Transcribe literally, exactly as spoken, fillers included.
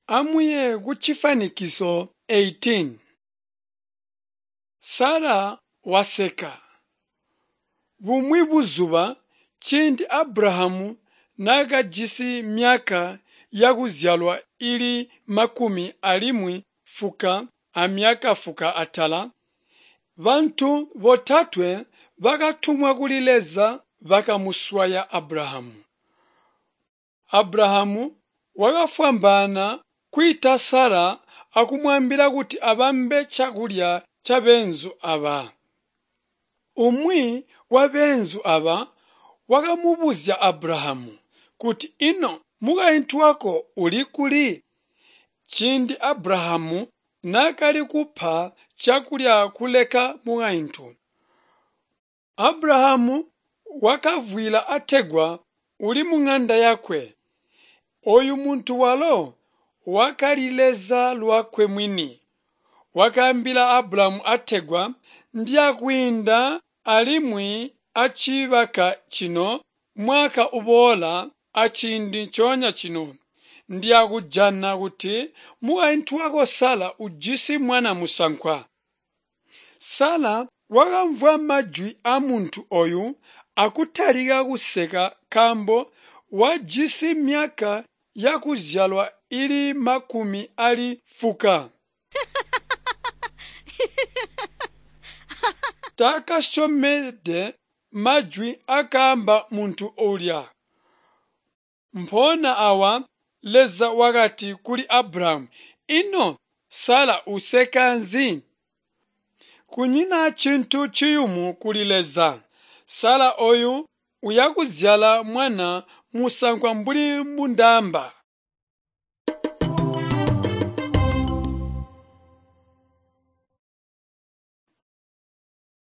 Amuye kucifwanikiso eighteen. Sara waseka. Bumwi buzuba ciindi Abrahamu naakajisi myaka yakuzyalwa ili makumi alimwi fuka amyaka fuka atala, bantu botatwe bakatumwa kuli Leza bakamuswaya Abrahamu. Abrahamu wakafwambaana kwiita Sara akumwaambila kuti abambe cakulya cabeenzu aba. Umwi wabeenzu aba wakamubuzya Abrahamu kuti ino mukaintu wako uli kuli? Ciindi Abrahamu naakali kupa cakulya kuleka mukaintu. Abrahamu wakavwiila ategwa uli muŋanda yakwe. Oyu muntu walo wakali Leza lwakwe mwini. Wakaambila Abrahamu ategwa ndiyakwiinda alimwi acibaka cino mwaka uboola aciindi ncoonya cino. Ndiyakujana kuti mukaintu wako Sara ujisi mwana musankwa. Sara wakamvwa majwi aamuntu oyu akutalika kuseka nkaambo wajisi myaka yakuzyalwa ili makumi ali fuka. Taakasyomede majwi akaamba muntu ulya. Mpoona awa Leza wakati kuli Abrahamu, ino Sara useka nzi? Kunyina cintu ciyumu kuli Leza. Sara oyu uyakuzyala mwana musankwa mbuli mbundaamba.